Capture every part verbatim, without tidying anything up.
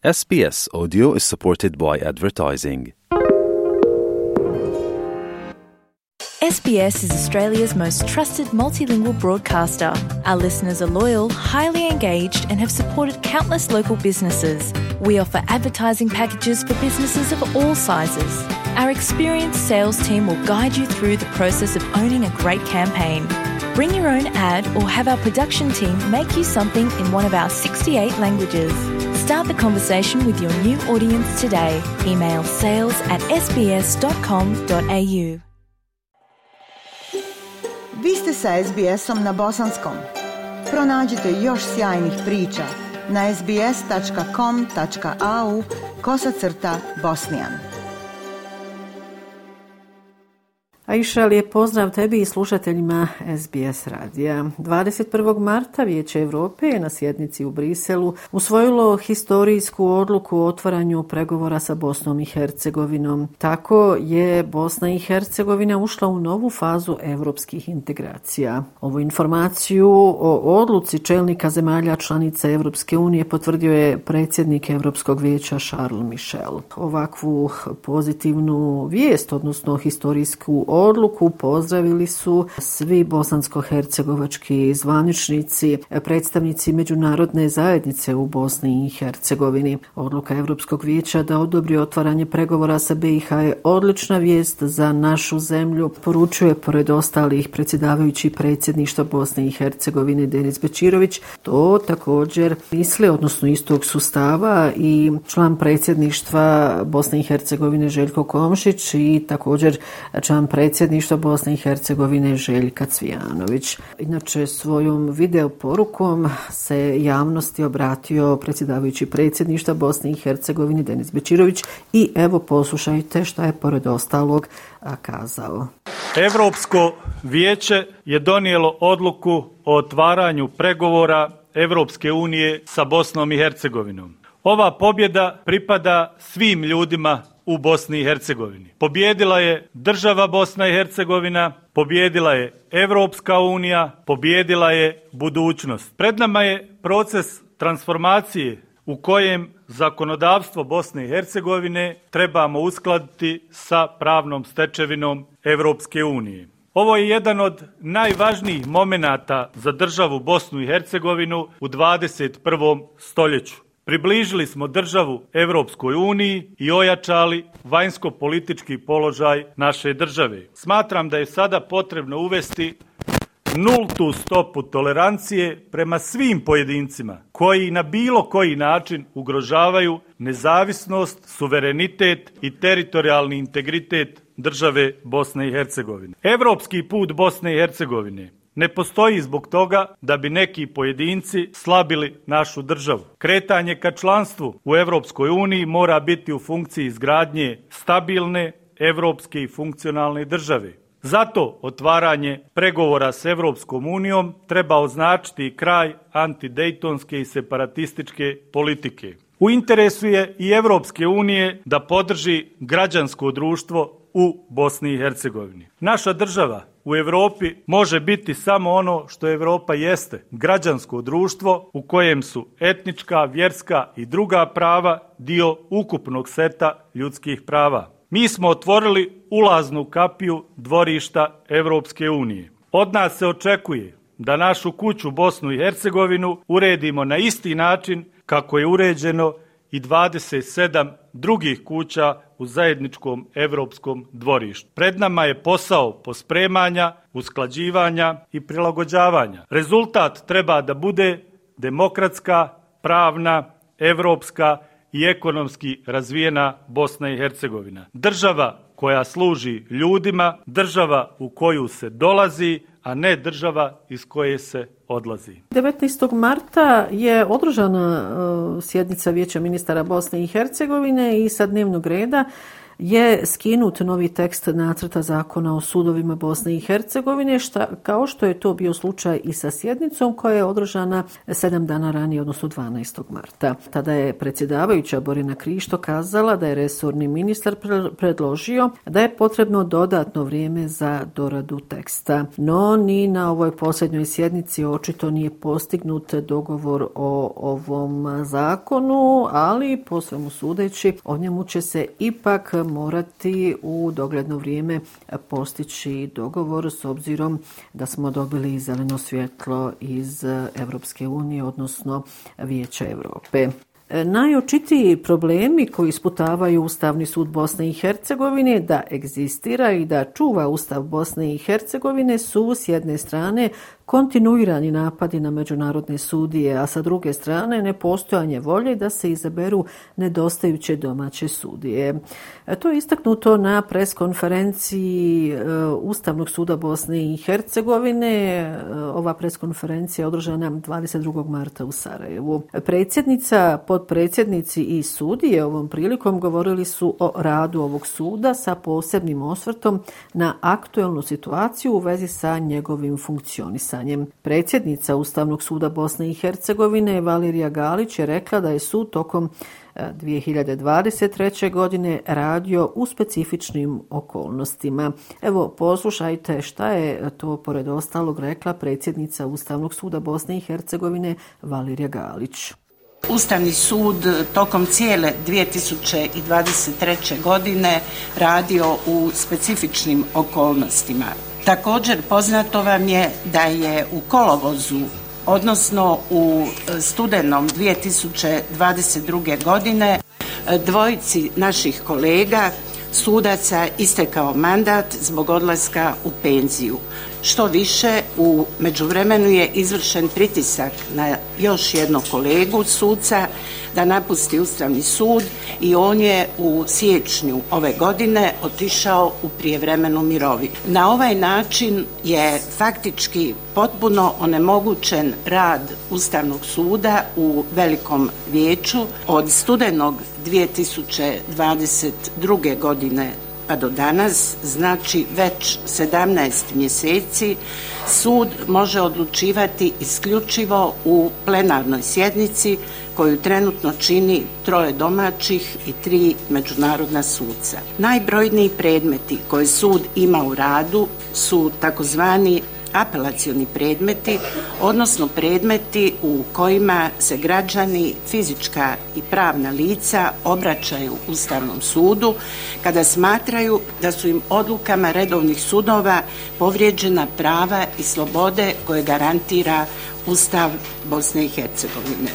S B S Audio is supported by advertising. S B S is Australia's most trusted multilingual broadcaster. Our listeners are loyal, highly engaged, and have supported countless local businesses. We offer advertising packages for businesses of all sizes. Our experienced sales team will guide you through the process of owning a great campaign. Bring your own ad or have our production team make you something in one of our sixty-eight languages. Start the conversation with your new audience today. Email sales at s b s dot com dot a u. Vi ste sa S B S-om na bosanskom. Pronađite još sjajnih priča na sbs.com.au kosacrta bosnijan. Aisha, lijep pozdrav tebi i slušateljima S B S radija. dvadeset prvog marta Vijeće Europe je na sjednici u Briselu usvojilo historijsku odluku o otvaranju pregovora sa Bosnom i Hercegovinom. Tako je Bosna i Hercegovina ušla u novu fazu europskih integracija. Ovu informaciju o odluci čelnika zemalja članica Europske unije potvrdio je predsjednik Europskog vijeća Charles Michel. Ovakvu pozitivnu vijest, odnosno historijsku odluku, pozdravili su svi bosansko-hercegovački zvaničnici, predstavnici međunarodne zajednice u Bosni i Hercegovini. Odluka Europskog vijeća da odobri otvaranje pregovora sa B i H je odlična vijest za našu zemlju, poručuje pored ostalih predsjedavajući predsjedništva Bosne i Hercegovine Denis Bećirović. To također misli, odnosno istog sustava, i član predsjedništva Bosne i Hercegovine Željko Komšić i također član predsjedništva Bosne i Hercegovine Željka Cvijanović. Inače, svojom video porukom se javnosti obratio predsjedavajući predsjedništva Bosne i Hercegovine Denis Bećirović i evo poslušajte šta je pored ostalog kazao. Europsko vijeće je donijelo odluku o otvaranju pregovora Europske unije sa Bosnom i Hercegovinom. Ova pobjeda pripada svim ljudima u Bosni i Hercegovini. Pobjedila je država Bosna i Hercegovina, pobjedila je Europska unija, pobjedila je budućnost. Pred nama je proces transformacije u kojem zakonodavstvo Bosne i Hercegovine trebamo uskladiti sa pravnom stečevinom Europske unije. Ovo je jedan od najvažnijih momenata za državu Bosnu i Hercegovinu u dvadeset prvom stoljeću. Približili smo državu Europskoj uniji i ojačali vanjsko-politički položaj naše države. Smatram da je sada potrebno uvesti nultu stopu tolerancije prema svim pojedincima koji na bilo koji način ugrožavaju nezavisnost, suverenitet i teritorijalni integritet države Bosne i Hercegovine. Europski put Bosne i Hercegovine ne postoji zbog toga da bi neki pojedinci slabili našu državu. Kretanje ka članstvu u Europskoj uniji mora biti u funkciji izgradnje stabilne, europske i funkcionalne države. Zato otvaranje pregovora s Europskom unijom treba označiti kraj antidejtonske i separatističke politike. U interesu je i Europske unije da podrži građansko društvo u Bosni i Hercegovini. Naša država u Europi može biti samo ono što Europa jeste, građansko društvo u kojem su etnička, vjerska i druga prava dio ukupnog seta ljudskih prava. Mi smo otvorili ulaznu kapiju dvorišta Europske unije. Od nas se očekuje da našu kuću Bosnu i Hercegovinu uredimo na isti način kako je uređeno i dvadeset sedam drugih kuća u zajedničkom europskom dvorištu. Pred nama je posao pospremanja, usklađivanja i prilagođavanja. Rezultat treba da bude demokratska, pravna, europska i ekonomski razvijena Bosna i Hercegovina. Država koja služi ljudima, država u koju se dolazi, a ne država iz koje se odlazi. devetnaestog marta je održana uh, sjednica Vijeća ministara Bosne i Hercegovine i sa dnevnog reda je skinut novi tekst nacrta zakona o sudovima Bosne i Hercegovine, šta, kao što je to bio slučaj i sa sjednicom koja je održana sedam dana ranije, odnosno dvanaestog marta. Tada je predsjedavajuća Borina Krišto kazala da je resorni ministar predložio da je potrebno dodatno vrijeme za doradu teksta. No, ni na ovoj posljednjoj sjednici očito nije postignut dogovor o ovom zakonu, ali po svemu sudeći o njemu će se ipak morati u dogledno vrijeme postići dogovor s obzirom da smo dobili zeleno svjetlo iz Europske unije, odnosno Vijeća Europe. Najočitiji problemi koji isputavaju Ustavni sud Bosne i Hercegovine da egzistira i da čuva Ustav Bosne i Hercegovine su s jedne strane kontinuirani napadi na međunarodne sudije, a sa druge strane nepostojanje volje da se izaberu nedostajuće domaće sudije. To je istaknuto na preskonferenciji Ustavnog suda Bosne i Hercegovine. Ova preskonferencija je održana dvadeset drugog marta u Sarajevu. Predsjednica, potpredsjednici i sudije ovom prilikom govorili su o radu ovog suda sa posebnim osvrtom na aktuelnu situaciju u vezi sa njegovim funkcionisanjem. Predsjednica Ustavnog suda Bosne i Hercegovine Valerija Galić je rekla da je sud tokom dvije hiljade dvadeset treće. godine radio u specifičnim okolnostima. Evo, poslušajte šta je to pored ostalog rekla predsjednica Ustavnog suda Bosne i Hercegovine Valerija Galić. Ustavni sud tokom cijele dvije tisuće dvadeset treće. godine radio u specifičnim okolnostima. Također poznato vam je da je u kolovozu, odnosno u studenom dvije tisuće dvadeset druge. godine dvojici naših kolega sudaca istekao mandat zbog odlaska u penziju. Što više, u međuvremenu je izvršen pritisak na još jednog kolegu suca da napusti Ustavni sud i on je u siječnju ove godine otišao u prijevremenu mirovinu. Na ovaj način je faktički potpuno onemogućen rad Ustavnog suda u Velikom vijeću od studenog dvije tisuće dvadeset druge. godine pa do danas, znači već sedamnaest mjeseci, sud može odlučivati isključivo u plenarnoj sjednici koju trenutno čini troje domaćih i tri međunarodna suca. Najbrojniji predmeti koje sud ima u radu su takozvani apelacioni predmeti, odnosno predmeti u kojima se građani, fizička i pravna lica obraćaju Ustavnom sudu kada smatraju da su im odlukama redovnih sudova povrijeđena prava i slobode koje garantira Ustav Bosne i Hercegovine.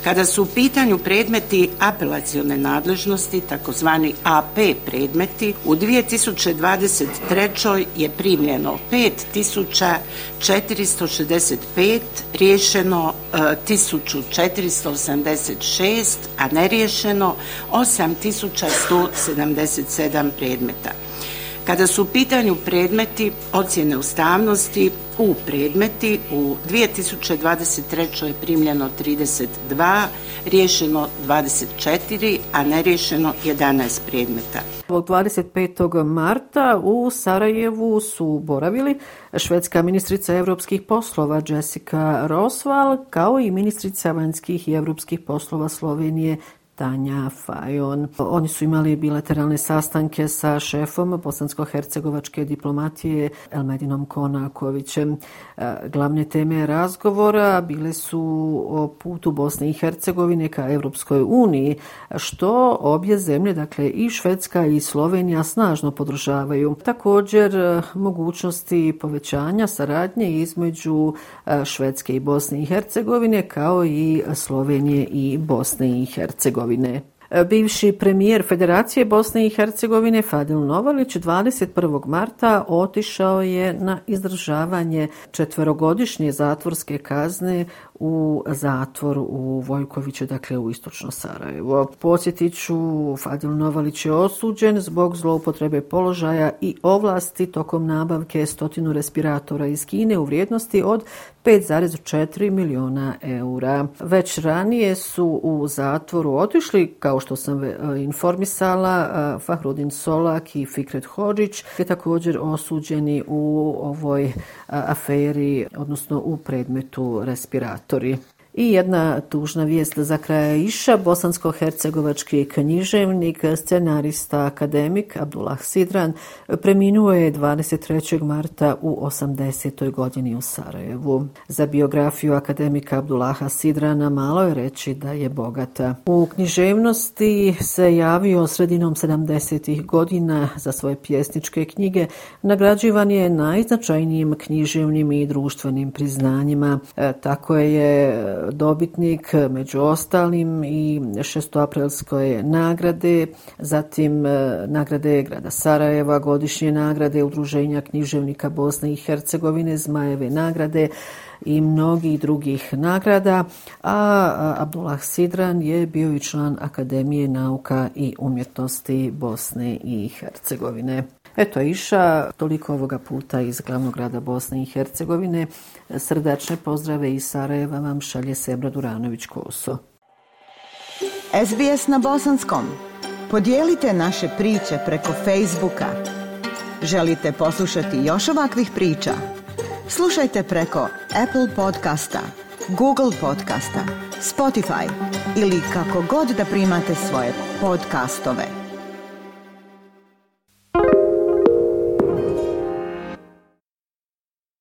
Kada su u pitanju predmeti apelacione nadležnosti, takozvani A P predmeti, u dvije tisuće dvadeset trećoj. je primljeno pet tisuća četiristo šezdeset pet, riješeno e, tisuću četiristo osamdeset šest, a neriješeno osam tisuća sto sedamdeset sedam predmeta. Kada su u pitanju predmeti ocjene ustavnosti, U predmeti u dvije tisuće dvadeset trećoj. je primljeno trideset dva, riješeno dvadeset četiri, a neriješeno jedanaest predmeta. dvadeset petog marta u Sarajevu su boravili švedska ministrica europskih poslova Jessica Roswall kao i ministrica vanjskih i europskih poslova Slovenije Tanja Fajon. Oni su imali bilateralne sastanke sa šefom bosansko-hercegovačke diplomatije Elmedinom Konakovićem. Glavne teme razgovora bile su o putu Bosne i Hercegovine ka Europskoj uniji, što obje zemlje, dakle i Švedska i Slovenija, snažno podržavaju. Također mogućnosti povećanja saradnje između Švedske i Bosne i Hercegovine kao i Slovenije i Bosne i Hercegovine. Bivši premijer Federacije Bosne i Hercegovine Fadil Novalić dvadeset prvog marta otišao je na izdržavanje četverogodišnje zatvorske kazne u zatvor u Vojkoviću, dakle u istočno Sarajevo. Podsjetit ću, Fadil Novalić je osuđen zbog zloupotrebe položaja i ovlasti tokom nabavke stotinu respiratora iz Kine u vrijednosti od pet zarez četiri miliona eura. Već ranije su u zatvoru otišli, kao što sam informisala, Fahrudin Solak i Fikret Hodžić, je također osuđeni u ovoj aferi, odnosno u predmetu respiratori. I jedna tužna vijest za kraj iša. Bosansko-hercegovački književnik, scenarista, akademik Abdullah Sidran preminuo je dvadeset trećeg marta u osamdesetoj godini u Sarajevu. Za biografiju akademika Abdullaha Sidrana malo je reći da je bogata. U književnosti se javio sredinom sedamdesetih godina za svoje pjesničke knjige. Nagrađivan je najznačajnijim književnim i društvenim priznanjima. E, tako je dobitnik među ostalim i šestoaprilske nagrade, zatim nagrade grada Sarajeva, godišnje nagrade Udruženja književnika Bosne i Hercegovine, Zmajeve nagrade i mnogih drugih nagrada, a Abdullah Sidran je bio i član Akademije nauka i umjetnosti Bosne i Hercegovine. Eto iša, toliko ovoga puta iz glavnog grada Bosne i Hercegovine. Srdačne pozdrave iz Sarajeva vam šalje Sebra Duranović-Koso. S B S na bosanskom. Podijelite naše priče preko Facebooka. Želite poslušati još ovakvih priča? Slušajte preko Apple podcasta, Google podcasta, Spotify ili kako god da primate svoje podcastove.